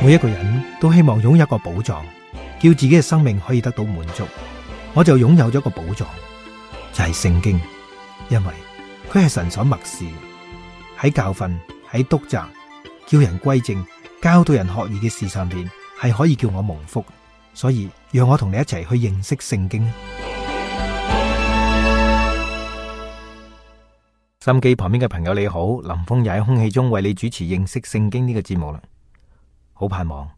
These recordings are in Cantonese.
每一個人都希望擁有一個寶藏，叫自己嘅生命可以得到滿足。我就擁有咗一個寶藏，就係聖經，因為佢係神所默示，喺教訓、喺督責、叫人歸正、教導人學義嘅事上邊，係可以叫我蒙福。所以讓我同你一齊去認識聖經。心機旁邊嘅朋友你好，林峰又喺空氣中為你主持認識聖經呢個節目啦。好盼望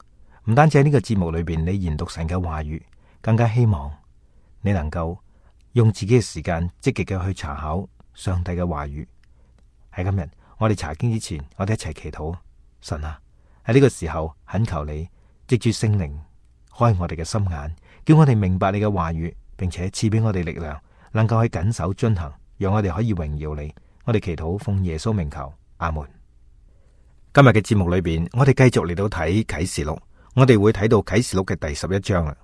唔單止喺呢個節目裏邊你研讀神嘅話語，更加希望你能夠用自己嘅時間積極嘅去查考上帝嘅話語。喺今日我哋查經之前，我哋一齊祈禱。神啊，喺呢個時候懇求你藉住聖靈開我哋嘅心眼，叫我哋明白你嘅話語，並且賜俾我哋力量，能夠去謹守遵行，讓我哋可以榮耀你。我哋祈禱奉耶穌名求，阿門。今日嘅節目裏邊，我哋繼續嚟到睇啟示錄，我哋會睇到啟示錄嘅第11章啦。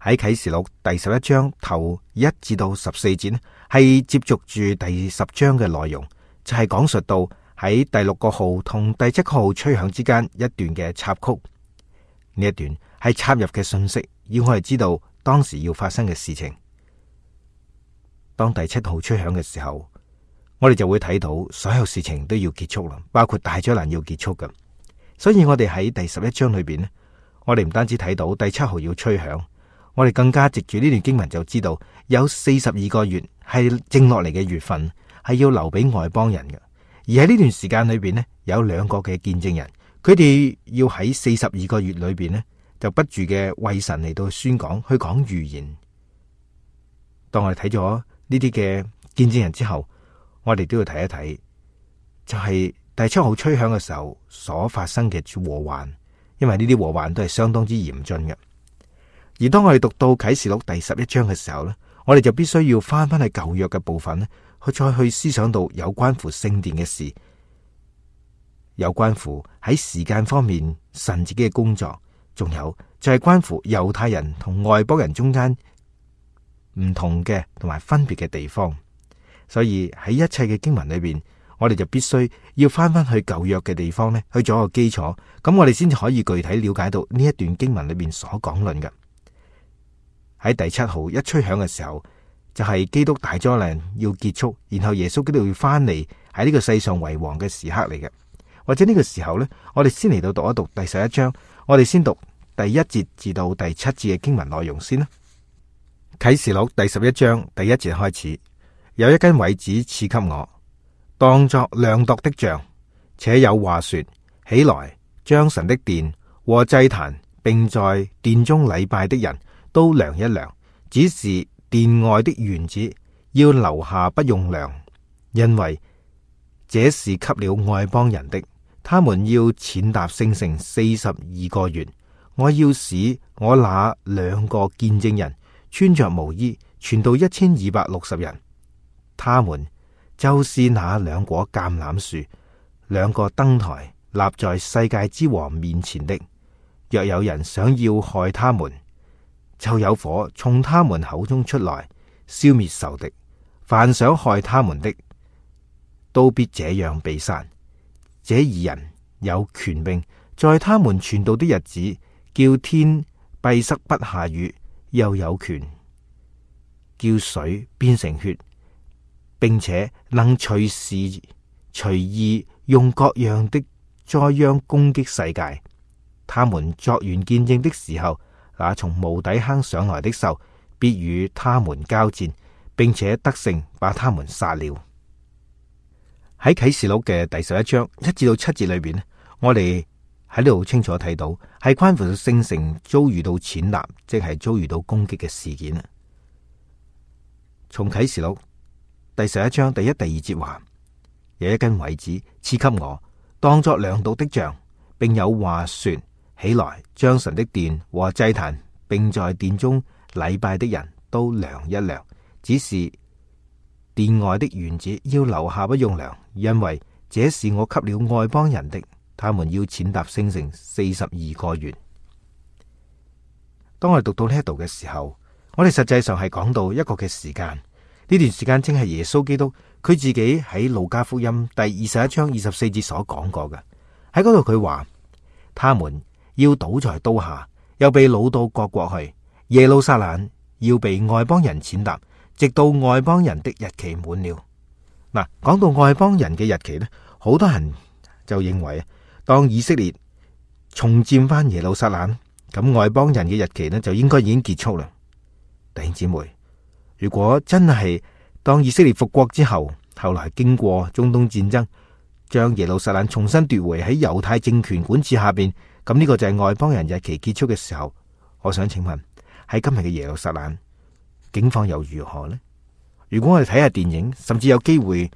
喺啟示錄第11章頭1至到14節呢，係接續住第10章嘅內容，就係講述到喺第6個號同第7個號吹響之間一段嘅插曲。呢一段係插入嘅信息，要我哋知道當時要發生嘅事情。當第7號吹響嘅時候，我哋就會睇到所有事情都要結束啦，包括大災難要結束嘅。所以我哋喺第11章裏邊呢，我哋唔單止睇到第7號要吹響，我哋更加藉住呢段經文就知道有42個月係剩落嚟嘅月份，係要留俾外邦人嘅。而喺呢段時間裏邊呢，有2個嘅見證人，佢哋要喺42個月裏邊呢，就不住嘅為神嚟到宣講，去講預言。當我哋睇咗呢啲嘅見證人之後，我哋都要睇一睇，就係第7號吹響嘅時候所發生嘅禍患，因為呢啲禍患都係相當之嚴峻嘅。而當我哋讀到啟示錄第11章嘅時候呢，我哋就必須要翻去舊約嘅部分呢，去再去思想到有關乎聖殿嘅事，有關乎喺時間方面神自己嘅工作，仲有就係關乎猶太人同外邦人中間唔同嘅同埋分別嘅地方。所以喺一切嘅經文裏邊，我哋就必須要翻去舊約嘅地方呢，去做一個基礎，咁我哋先至可以具體了解到呢一段經文裏邊所講論嘅。喺第7號一吹響嘅時候，就係基督大災難要結束，然後耶穌基督要翻嚟喺呢個世上為王嘅時刻嚟嘅。或者呢個時候呢，我哋先嚟到讀一讀第11章，我哋先讀第1節至到第7節嘅經文內容先啦。啟示錄第11章第1節開始。有一根葦子賜給我，當作量度的杖，且有話說：起來，將神的殿和祭壇，並在殿中禮拜的人都量一量。只是殿外的園子要留下不用量，因為這是給了外邦人的。他們要踐踏聖城42個月。我要使我那2個見證人穿着毛衣，傳到1260人。他們就是那2棵橄欖樹，2個燈台立在世界之王面前的。若有人想要害他們，就有火從他們口中出來，消滅仇敵。凡想害他們的，都必這樣被殺。這2人有權柄，在他們傳道的日子，叫天閉塞不下雨，又有權叫水變成血，並且能隨時隨意用各樣的災殃攻擊世界。他們作完見證的時候，那從無底坑上來的獸必與他們交戰，並且得勝，把他們殺了。喺啟示錄嘅第11章1至到7節裏邊，我哋喺呢度清楚睇到係關乎到聖城遭遇到踐踏，即係遭遇到攻擊嘅事件。從啟示錄第11章第1、第2節話，有一根葦子賜給我，當作量度的杖，並有話說：起來，將神的殿和祭壇，並在殿中禮拜的人都量一量。只是殿外的園子要留下不用量，因為這是我給了外邦人的。他們要踐踏聖城42個月。當我哋讀到呢一度嘅時候，我哋實際上係講到一個嘅時間。呢段時間正係耶穌基督佢自己喺路加福音第21章24節所講過嘅。喺嗰度佢話：他們要倒在刀下，又被擄到各國去。耶路撒冷要被外邦人踐踏，直到外邦人的日期滿了。嗱，講到外邦人嘅日期呢，好多人就認為，當以色列重佔翻耶路撒冷，咁外邦人嘅日期呢就應該已經結束啦。弟兄姊妹，如果真係當以色列復國之後，後來經過中東戰爭，將耶路撒冷重新奪回喺猶太政權管治下邊，咁呢個就係外邦人日期結束嘅時候。我想請問，喺今日嘅耶路撒冷境況又如何呢？如果我哋睇下電影，甚至有機會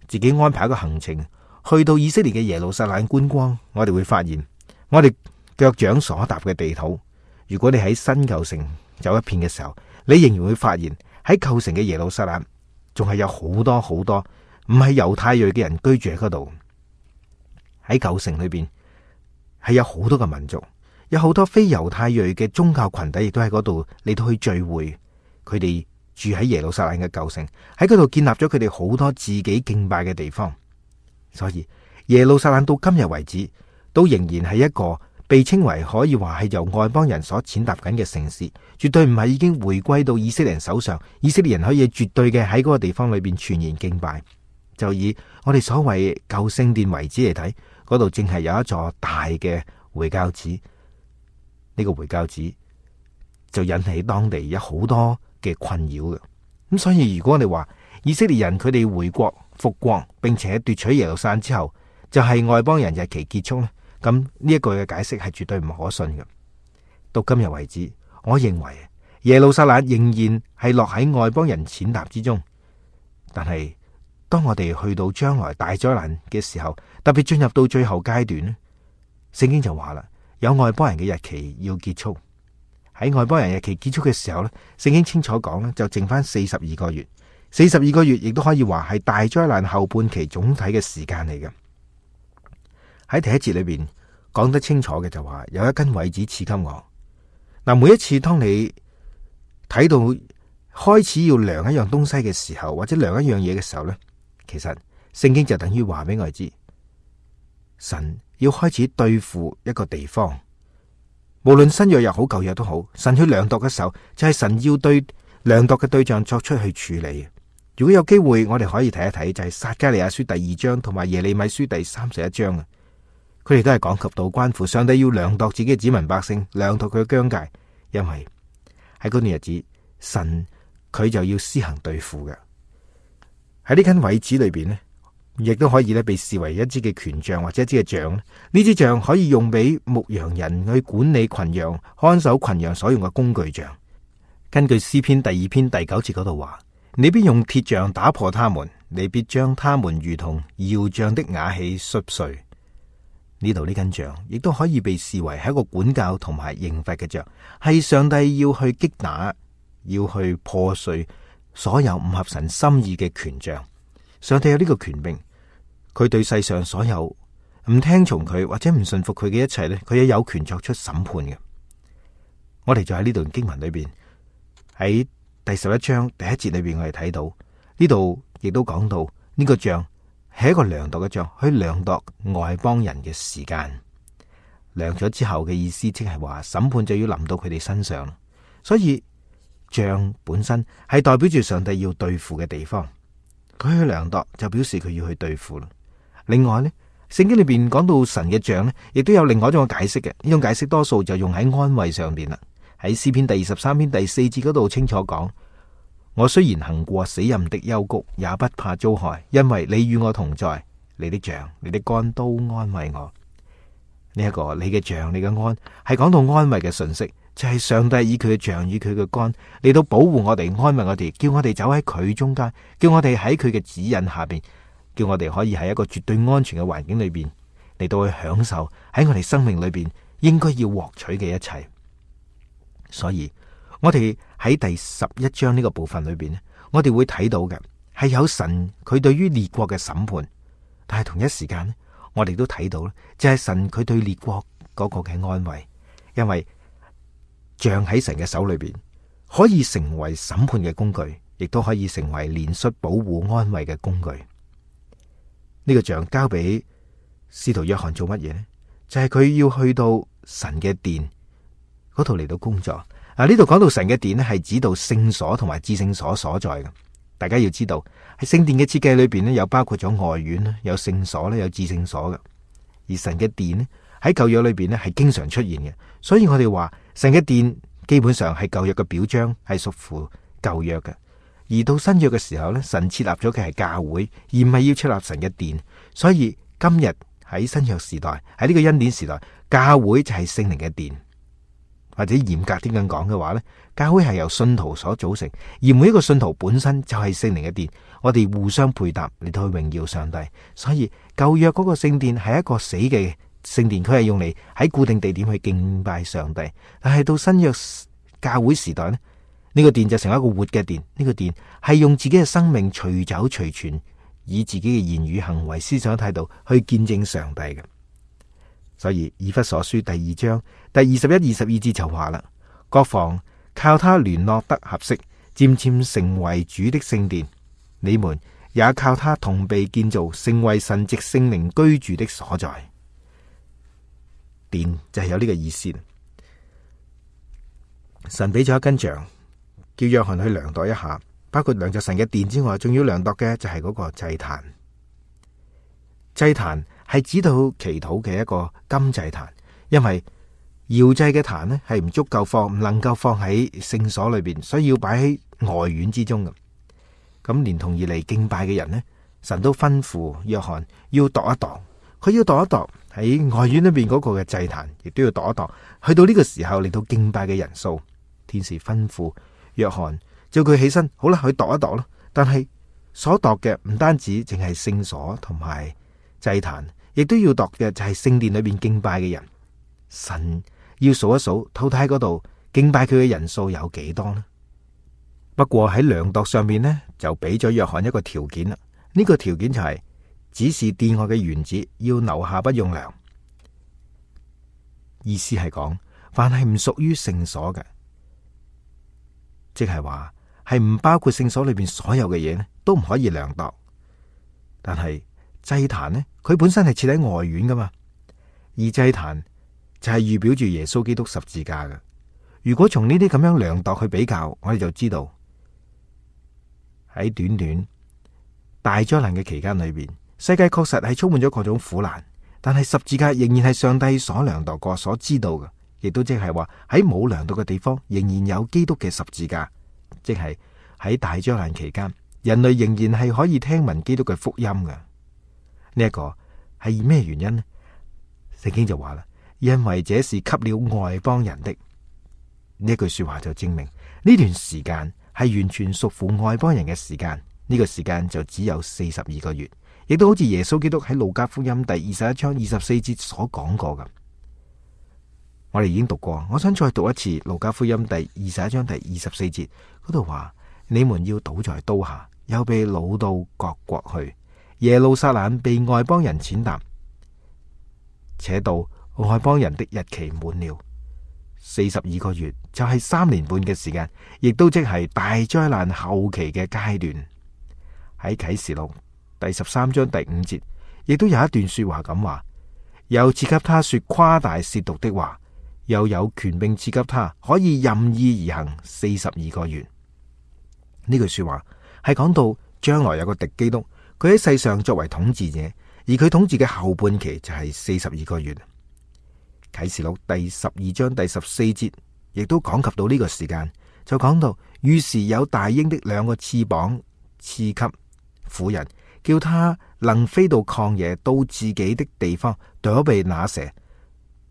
自己安排一個行程去到以色列嘅耶路撒冷觀光，我哋會發現，我哋腳掌所踏嘅地土，如果你喺新舊城走一遍嘅時候，你仍然會發現喺舊城嘅耶路撒冷仲係有好多好多唔係猶太裔嘅人居住喺嗰度。喺舊城裏邊係有好多嘅民族，有好多非猶太裔嘅宗教群體亦都喺嗰度嚟到去聚會。佢哋住喺耶路撒冷嘅舊城，喺嗰度建立咗佢哋好多自己敬拜嘅地方。所以耶路撒冷到今日為止都仍然係一個被稱為可以話係由外邦人所踐踏緊嘅城市，絕對唔係已經回歸到以色列人手上，以色列人可以絕對嘅喺嗰個地方裏邊全然敬拜。就以我哋所謂舊聖殿遺址嚟睇，嗰度正係有一座大嘅回教寺。呢個回教寺就引起當地有好多嘅困擾嘅。咁所以如果我哋話以色列人佢哋回國復國，並且奪取耶路撒冷之後，就係外邦人日期結束咧，咁呢一句嘅解釋係絕對唔可信嘅。到今日為止，我認為耶路撒冷仍然係落喺外邦人踐踏之中。但係當我哋去到將來大災難嘅時候，特別進入到最後階段咧，聖經就話啦，有外邦人嘅日期要結束。喺外邦人日期結束嘅時候咧，聖經清楚講咧，就剩翻42個月。42個月亦都可以話係大災難後半期總體嘅時間嚟嘅。喺第一節裏邊講得清楚嘅就話，有一根葦子賜給我。嗱，每一次當你睇到開始要量一樣東西嘅時候，或者量一樣嘢嘅時候咧，其實聖經就等於話俾我哋知，神要開始對付一個地方。無論新約又好舊約都好，神去量度嘅時候，就係神要對量度嘅對象作出去處理。如果有機會，我哋可以睇一睇，就係撒迦利亞書第2章同埋耶利米書第31章啊。佢哋都係講及到關乎上帝要量度自己嘅子民百姓，量度佢嘅疆界，因為喺嗰段日子，神佢就要施行對付嘅。喺呢根葦子裏邊呢，亦都可以咧被視為一支嘅權杖或者一支嘅杖。呢支杖可以用俾牧羊人去管理群羊、看守群羊所用嘅工具杖。根據詩篇第2篇第9節嗰度話，你必用鐵杖打破他們，你必將他們如同窯匠的瓦器摔碎。呢度呢根杖亦都可以被視為係一個管教同埋刑罰嘅杖，係上帝要去擊打、要去破碎所有唔合神心意嘅權杖。上帝有呢個權柄，佢對世上所有唔聽從佢或者唔信服佢嘅一切咧，佢也有權作出審判嘅。我哋就喺呢段經文裏邊，喺第11章第1節裏邊，我哋睇到呢度亦都講到呢個杖係一個量度嘅杖，去量度外邦人嘅時間。量咗之後嘅意思，即係話審判就要臨到佢哋身上。所以杖本身係代表住上帝要對付嘅地方，佢去量度就表示佢要去對付啦。另外呢，聖經裏邊講到神嘅杖呢，亦都有另外一種解釋嘅。呢種解釋多數就用喺安慰上邊啦。喺詩篇第23篇第4節嗰度清楚講，我雖然行過死蔭的幽谷，也不怕遭害，因為你與我同在，你的杖、你的竿都安慰我。呢一個你嘅杖、你嘅竿係講到安慰嘅信息，就係上帝以佢嘅杖、以佢嘅竿嚟到保護我哋、安慰我哋，叫我哋走喺佢中間，叫我哋喺佢嘅指引下邊，叫我哋可以喺一個絕對安全嘅環境裏邊嚟到去享受喺我哋生命裏邊應該要獲取嘅一切。所以我哋喺第11章呢個部分裏邊咧，我哋會睇到嘅係有神佢對於列國嘅審判，但係同一時間咧，我哋都睇到咧，就係神佢對列國嗰個嘅安慰，因為杖喺神嘅手裏邊可以成為審判嘅工具，亦都可以成為憐恤、保護、安慰嘅工具。呢個杖交俾使徒約翰做乜嘢呢？就係佢要去到神嘅殿嗰度嚟到工作。呢度講到神嘅殿咧，係指到聖所同埋至聖所所在嘅。大家要知道喺聖殿嘅設計裏邊咧，有包括咗外院啦，有聖所咧，有至聖所嘅。而神嘅殿咧喺舊約裏邊咧係經常出現嘅，所以我哋話神嘅殿基本上係舊約嘅表彰，係屬乎舊約嘅。而到新約嘅時候咧，神設立咗嘅係教會，而唔係要設立神嘅殿。所以今日喺新約時代，喺呢個恩典時代，教會就係聖靈嘅殿。或者嚴格啲咁講嘅話咧，教會係由信徒所組成，而每一個信徒本身就係聖靈嘅殿，我哋互相配搭嚟到去榮耀上帝。所以舊約嗰個聖殿係一個死嘅聖殿，佢係用嚟喺固定地點去敬拜上帝。但係到新約教會時代咧，呢個殿就成為一個活嘅殿。呢個殿係用自己嘅生命隨走隨傳，以自己嘅言語行為思想態度去見證上帝嘅。所以以弗所書第2章第21、22節就話啦，各房靠他聯絡得合適，漸漸成為主的聖殿。你們也靠他同被建造，成為神藉聖靈居住的所在。殿就係有呢個意思。神俾咗一根杖，叫約翰去量度一下，包括量度神嘅殿之外，仲要量度嘅就係嗰個祭壇。祭壇係指到祈禱嘅一個金祭壇，因為搖祭嘅壇呢係唔足夠放，唔能夠放喺聖所裏邊，所以要擺喺外院之中嘅。咁連同而嚟敬拜嘅人呢，神都吩咐約翰要度一度，佢要度一度喺外院裏邊嗰個嘅祭壇，亦都要度一度。去到呢個時候嚟到敬拜嘅人數，天使吩咐約翰叫佢起身，好啦，去度一度咯。但係所度嘅唔單止淨係聖所同埋祭壇，亦都要度嘅就係聖殿裏邊敬拜嘅人。神要數一數，到底喺嗰度敬拜佢嘅人數有幾多呢？不過喺量度上面呢，就俾咗約翰一個條件啦。呢個條件就係只是殿外嘅園子要留下不用量。意思係講，凡係唔屬於聖所嘅，即係話係唔包括聖所裏邊所有嘅嘢呢，都唔可以量度。但係祭壇呢，佢本身係設喺外院噶嘛，而祭壇就係預表住耶穌基督十字架嘅。如果從呢啲咁樣量度去比較，我哋就知道喺短短大災難嘅期間裏邊，世界確實係充滿咗各種苦難，但係十字架仍然係上帝所量度過、所知道嘅，亦都即係話喺冇量度嘅地方，仍然有基督嘅十字架，即係喺大災難期間，人類仍然係可以聽聞基督嘅福音嘅。呢一個係咩原因呢？聖經就話啦，因為這是給了外邦人的。呢句說話就證明呢段時間係完全屬乎外邦人嘅時間。呢個時間就只有42個月，亦都好似耶穌基督喺路加福音第21章24節所講過嘅。我哋已經讀過，我想再讀一次路加福音第21章第24節嗰度話：你們要倒在刀下，又被擄到各國去。耶路撒冷被外邦人踐踏，且到外邦人的日期滿了。42個月就係3年半嘅時間，亦都即係大災難後期嘅階段。喺啟示錄第13章第5節，亦都有一段說話咁話：又賜給他說誇大褻瀆的話，又有權柄賜給他可以任意而行42個月。呢句說話係講到將來有個敵基督。佢喺世上作為統治者，而佢統治嘅後半期就係42個月。啟示錄第12章第14節亦都講及到呢個時間，就講到於是有大鷹的2個翅膀賜給婦人，叫他能飛到曠野，到自己的地方躲避那蛇。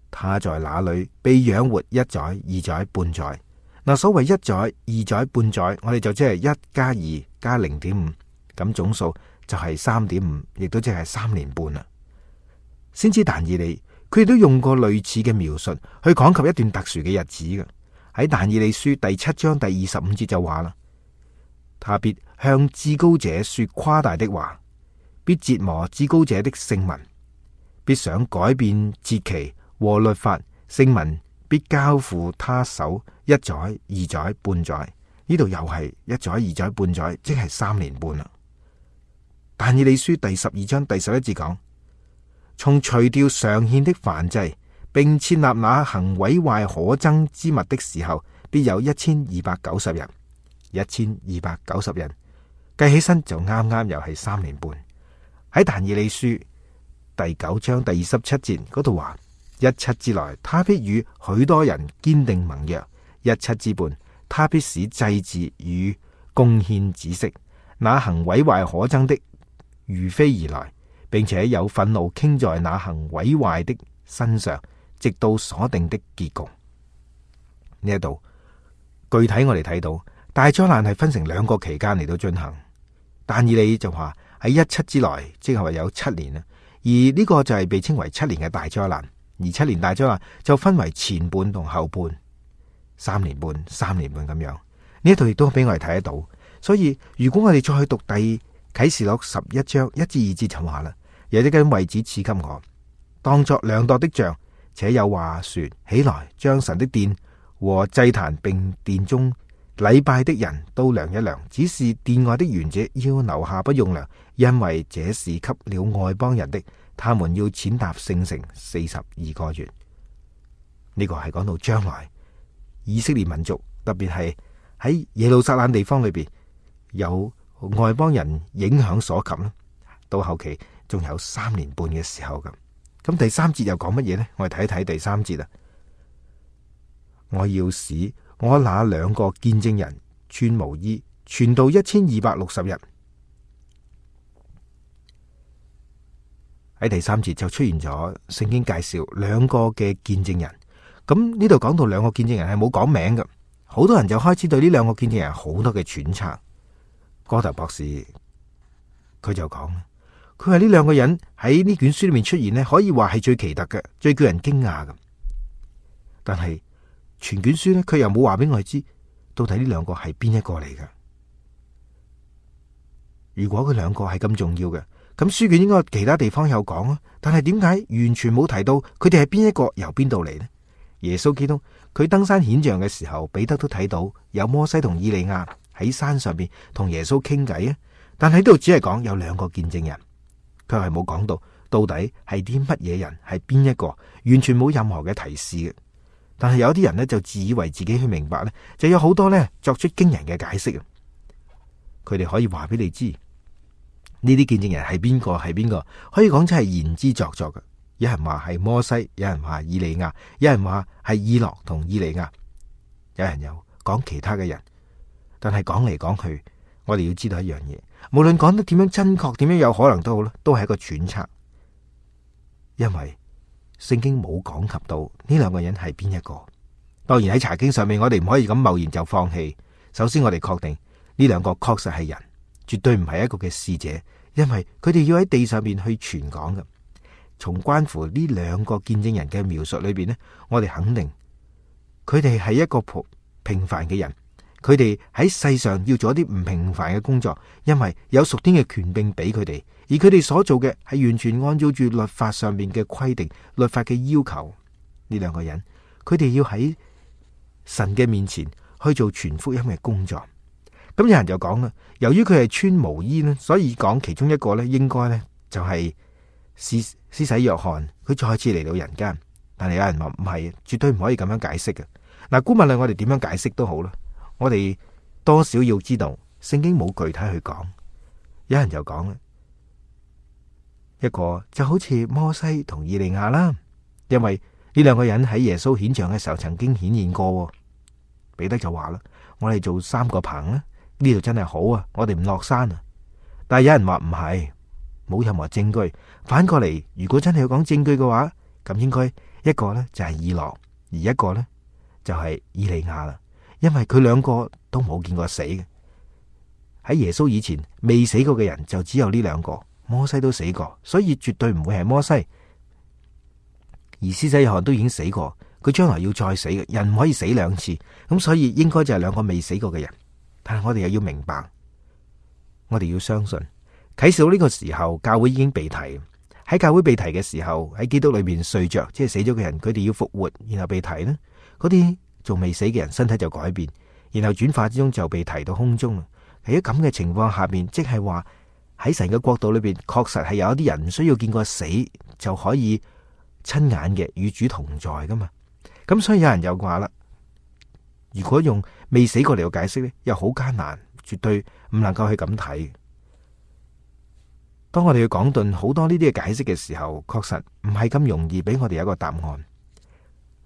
他在那裏被養活1載、2載、半載。嗱，所謂1載、2載、半載，我哋就即係1加2加0.5，咁總數就係3.5，亦都即係3年半啦。先知但以理佢亦都用過類似嘅描述去講及一段特殊嘅日子嘅。喺但以理書第7章第25節就話啦：他必向至高者說誇大的話，必折磨至高者的聖民，必想改變節期和律法，聖民必交付他手1載、2載、半載。呢度又係1載、2載、半載，即係3年半啦。但以理書第12章第11節講：從除掉常獻的燔祭，並設立那行毀壞可憎之物的時候，必有1290人。1290人計起身就啱啱又係3年半。喺但以理書第9章第27節嗰度話：17之內，他必與許多人堅定盟約；17之半，他必使祭祀與貢獻止息。那行毀壞可憎的如飛而來，並且有憤怒傾在那行毀壞的身上，直到所定的結局。呢一度具體我哋睇到大災難係分成2個期間嚟到進行。但以理就話喺17之內，即係話有7年啦。而呢個就係被稱為7年嘅大災難。而7年大災難就分為前半同後半，3年半咁樣。呢一度亦都俾我哋睇得到。所以如果我哋再去讀第啟示錄11章1至2節就話啦：有一根葦子賜給我，當作量度的杖，且有話說：起來，將神的殿和祭壇並殿中禮拜的人都量一量，只是殿外的園者要留下不用量，因為這是給了外邦人的，他們要踐踏聖城42個月。呢個係講到將來以色列民族，特別係喺耶路撒冷地方裏邊有外邦人影響所及啦。到後期仲有3年半嘅時候咁。咁第3節又講乜嘢呢？我哋睇一睇第3節啊！我要使我那2個見證人穿毛衣，傳道1260日。喺第3節就出現咗聖經介紹2個嘅見證人。咁呢度講到2個見證人係冇講名嘅，好多人就開始對呢2個見證人好多嘅揣測。哥特博士佢就講，佢話呢2個人喺呢卷書裏面出現呢，可以話係最奇特嘅，最叫人驚訝嘅。但係全卷書呢，佢又冇話俾我哋知到底呢2個係邊一個嚟嘅。如果佢2個係咁重要嘅，咁書卷應該其他地方有講啊。但係點解完全冇提到佢哋係邊一個，由邊度嚟呢？耶穌基督佢登山顯像嘅時候，彼得都睇到有摩西同以利亞喺山上邊同耶穌傾偈啊。但係呢度只係講有2個見證人，佢係冇講到底係啲乜嘢人，係邊一個，完全冇任何嘅提示嘅。但係有啲人呢，就自以為自己去明白呢，就有好多呢作出驚人嘅解釋啊。佢哋可以話俾你知呢啲見證人係邊個，可以講真係言之鑿鑿嘅。有人話係摩西，有人話以利亞，有人話係以諾同以利亞，有人又講其他嘅人。但係講嚟講去，我哋要知道一樣嘢，無論講得點樣真確，點樣有可能都好啦，都係一個揣測。因為聖經冇講及到呢2個人係邊一個。當然喺查經上面，我哋唔可以咁貿然就放棄。首先我哋確定呢2個確實係人，絕對唔係一個嘅使者，因為佢哋要喺地上面去傳講嘅。從關乎呢2個見證人嘅描述裏邊呢，我哋肯定佢哋係一個平凡嘅人，佢哋喺世上要做一啲唔平凡嘅工作，因為有屬天嘅權柄俾佢哋，而佢哋所做嘅係完全按照住律法上面嘅規定、律法嘅要求。呢2個人，佢哋要喺神嘅面前去做全福音嘅工作。咁有人就講啦，由於佢係穿毛衣呢，所以講其中一個呢，應該呢就係施洗約翰，佢再次嚟到人間。但係有人話唔係，絕對唔可以咁樣解釋嘅。嗱，姑勿論我哋點樣解釋都好啦，我哋多少要知道聖經冇具體去講。有人就講啦，一個就好似摩西同以利亞啦，因為呢2個人喺耶穌顯像嘅時候曾經顯現過。彼得就話啦，我哋做3個棚啦，呢度真係好啊，我哋唔落山啊。但係有人話唔係，冇任何證據。反過嚟，如果真係要講證據嘅話，咁應該一個呢就係以諾，而一個呢就係以利亞啦。因為佢2個都冇見過死嘅，喺耶穌以前未死過嘅人就只有呢2個。摩西都死過，所以絕對唔會係摩西。而施洗約翰都已經死過，佢將來要再死嘅，人唔可以死2次，咁所以應該就係2個未死過嘅人。但係我哋又要明白，我哋要相信啟示錄呢個時候教會已經被提。喺教會被提嘅時候，喺基督裏面睡着，即係死咗嘅人，佢哋要復活，然後被提呢，嗰啲仲未死嘅人身體就改變，然後轉化之中就被提到空中。喺咁嘅情況下面，即係話喺神嘅國度裏邊，確實係有一啲人唔需要見過死就可以親眼嘅與主同在噶嘛。咁所以有人又話啦，如果用未死過嚟到解釋呢，又好艱難，絕對唔能夠去咁睇。當我哋去講頓好多呢啲嘅解釋嘅時候，確實唔係咁容易俾我哋有一個答案。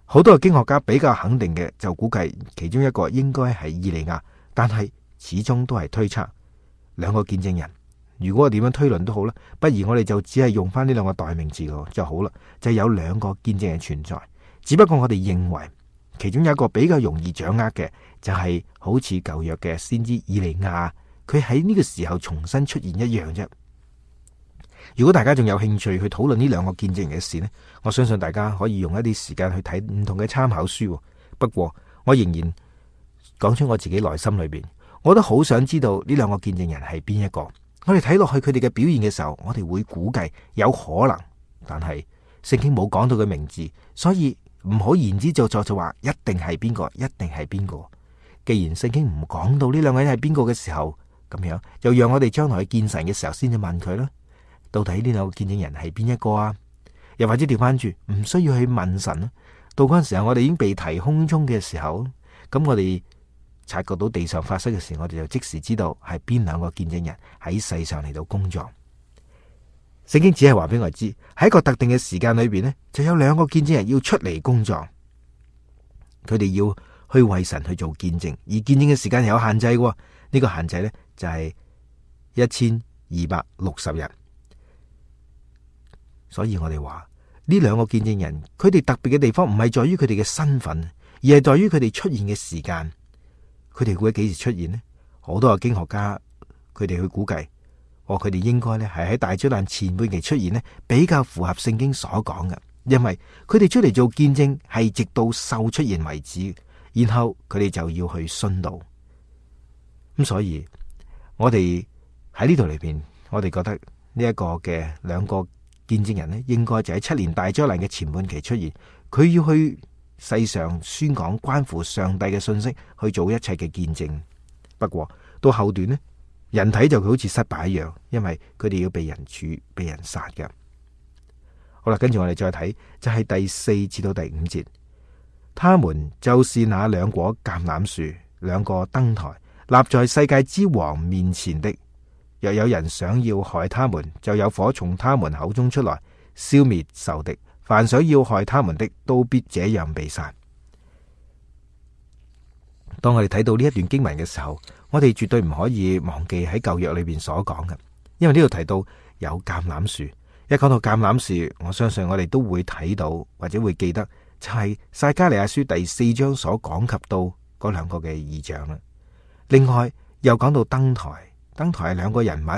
好多嘅經學家比較肯定嘅就估計其中一個應該係以利亞，但係始終都係推測兩個見證人。如果我點樣推論都好啦，不如我哋就只係用翻呢兩個代名詞就好啦，就有兩個見證人存在。只不過我哋認為其中有一個比較容易掌握嘅，就係好似舊約嘅先知以利亞，佢喺呢個時候重新出現一樣啫。如果大家仲有興趣去討論呢兩個見證人嘅事呢，我相信大家可以用一啲時間去睇唔同嘅參考書。不過我仍然講出我自己內心裏邊，我都好想知道呢兩個見證人係邊一個。我哋睇落去佢哋嘅表現嘅時候，我哋會估計有可能，但係聖經冇講到佢名字，所以唔好言之鑿鑿就話一定係邊個，一定係邊個。既然聖經唔講到呢兩個人係邊個嘅時候，咁樣就讓我哋將來去見神嘅時候先至問佢啦。到底呢兩個見證人係邊一個啊？又或者調翻轉，唔需要去問神啦。到嗰陣時候，我哋已經被提空中嘅時候，咁我哋察覺到地上發生嘅事，我哋就即時知道係邊兩個見證人喺世上嚟到工作。聖經只係話俾我哋知，喺一個特定嘅時間裏邊呢，就有兩個見證人要出嚟工作。佢哋要去為神去做見證，而見證嘅時間係有限制嘅。呢個限制呢，就係1260日。所以我哋話呢兩個見證人，佢哋特別嘅地方唔係在於佢哋嘅身份，而係在於佢哋出現嘅時間。佢哋會喺幾時出現呢？好多嘅經學家佢哋去估計，佢哋應該咧係喺大災難前半期出現呢，比較符合聖經所講嘅。因為佢哋出嚟做見證係直到獸出現為止，然後佢哋就要去殉道。咁所以我哋喺呢度裏邊，我哋覺得呢一個嘅兩個見證人呢，應該就喺7年大災難嘅前半期出現。佢要去世上宣講關乎上帝嘅信息，去做一切嘅見證。不過到後段呢，人睇就好似失敗一樣，因為佢哋要被人處、被人殺嘅。好啦，跟住我哋再睇，就係第4至到第5節。他們就是那兩果橄欖樹，兩個燈台，立在世界之王面前的。若有人想要害他們，就有火從他們口中出來，消滅仇敵。凡想要害他們的，都必這樣被殺。當我哋睇到呢一段經文嘅時候，我哋絕對唔可以忘記喺舊約裏邊所講嘅，因為呢度提到有橄欖樹。一講到橄欖樹，我相信我哋都會睇到或者會記得，就係撒迦利亞書第4章所講及到嗰兩個嘅異象啦。另外又講到燈台，燈台係兩個人物，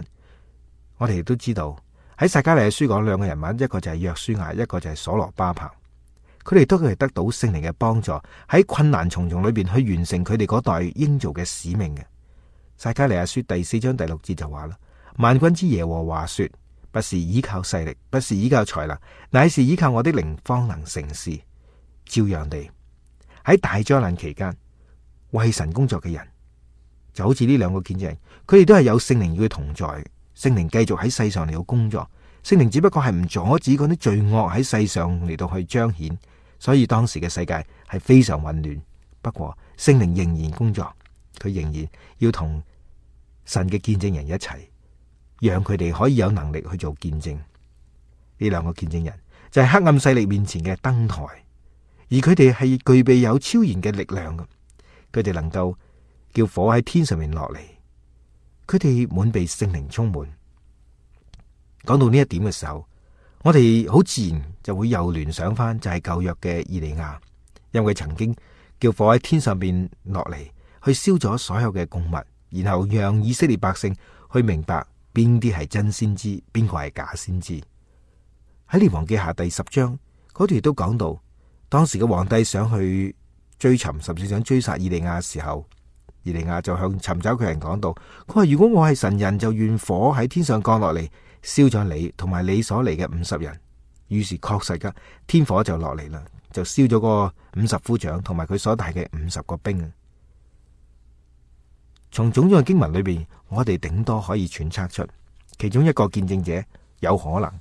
我哋亦都知道喺撒迦利亞書講兩個人物，一個就係約書亞，一個就係所羅巴伯。佢哋都係得到聖靈嘅幫助，喺困難重重裏邊去完成佢哋嗰代應做嘅使命嘅。撒迦利亞書第4章第6節就話啦：萬軍之耶和華說，不是依靠勢力，不是依靠才能，乃是依靠我的靈方能成事。照樣地喺大災難期間為神工作嘅人，就好似呢兩個見證人，佢哋都係有聖靈與佢同在，聖靈繼續喺世上嚟到工作，聖靈只不過係唔阻止嗰啲罪惡喺世上嚟到去彰顯，所以當時嘅世界係非常混亂。不過聖靈仍然工作，佢仍然要同神嘅見證人一齊，讓佢哋可以有能力去做見證。呢兩個見證人就係黑暗勢力面前嘅燈台，而佢哋係具備有超然嘅力量嘅，佢哋能夠叫火喺天上面落嚟，佢哋滿被聖靈充滿。講到呢一點嘅時候，我哋好自然就會又聯想翻就係舊約嘅以利亞，因為佢曾經叫火喺天上邊落嚟，去燒咗所有嘅供物，然後讓以色列百姓去明白邊啲係真先知，邊個係假先知。喺列王記下第10章嗰段亦都講到，當時嘅皇帝想去追尋，甚至想追殺以利亞嘅時候，以利亞就向尋找佢人講到，佢話如果我係神人，就願火喺天上降落嚟，燒咗你同埋你所嚟嘅50人。於是確實噶，天火就落嚟啦，就燒咗個50夫長同埋佢所帶嘅50個兵。從種種嘅經文裏邊，我哋頂多可以揣測出其中一個見證者有可能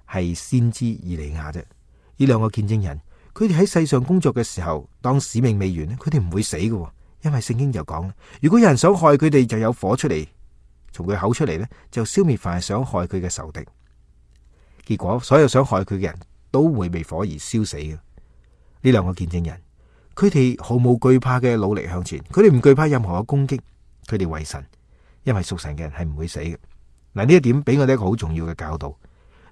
係先知以利亞啫。呢兩個見證人，佢哋喺世上工作嘅時候，當使命未完，佢哋唔會死嘅，因為聖經就講，如果有人想害佢哋，就有火出嚟，從佢口出嚟呢，就消滅凡係想害佢嘅仇敵。結果所有想害佢嘅人都會被火而燒死嘅。呢兩個見證人，佢哋毫無懼怕嘅努力向前，佢哋唔懼怕任何嘅攻擊，佢哋為神，因為屬神嘅人係唔會死嘅。嗱，呢一點俾我哋一個好重要嘅教導。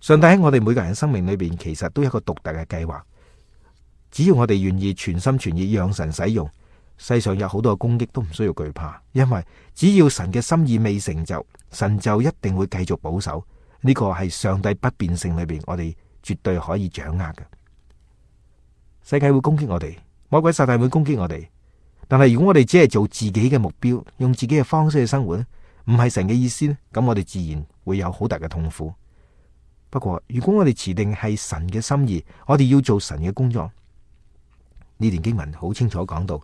上帝喺我哋每個人生命裏邊，其實都有一個獨特嘅計劃。只要我哋願意全心全意讓神使用，世上有好多嘅攻擊都唔需要懼怕，因為只要神嘅心意未成就，神就一定會繼續保守。呢個係上帝不變性裏邊，我哋絕對可以掌握嘅。世界會攻擊我哋，魔鬼撒旦會攻擊我哋，但係如果我哋只係做自己嘅目標，用自己嘅方式去生活咧，唔係神嘅意思咧，咁我哋自然會有好大嘅痛苦。不過如果我哋持定係神嘅心意，我哋要做神嘅工作。呢段經文好清楚講到，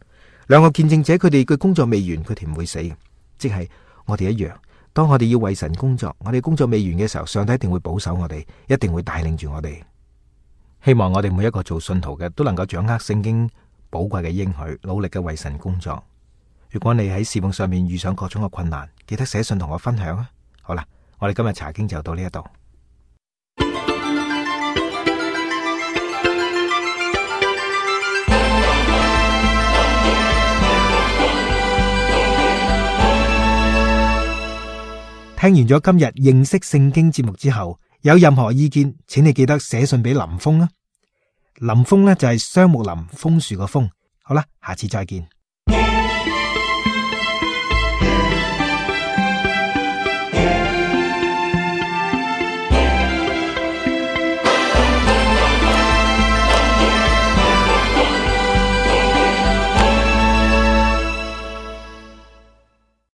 兩個見證者佢哋嘅工作未完，佢哋唔會死嘅，即係我哋一樣。當我哋要為神工作，我哋工作未完嘅時候，上帝一定會保守我哋，一定會帶領住我哋。希望我哋每一個做信徒嘅都能夠掌握聖經寶貴嘅應許，努力嘅為神工作。如果你喺侍奉上面遇上各種嘅困難，記得寫信同我分享啊！好啦，我哋今日查經就到呢一度。聽完咗今日認識聖經節目之後，有任何意見，請你記得寫信俾林峰啊。林峰呢就係雙木林，楓樹個楓。好啦，下次再見。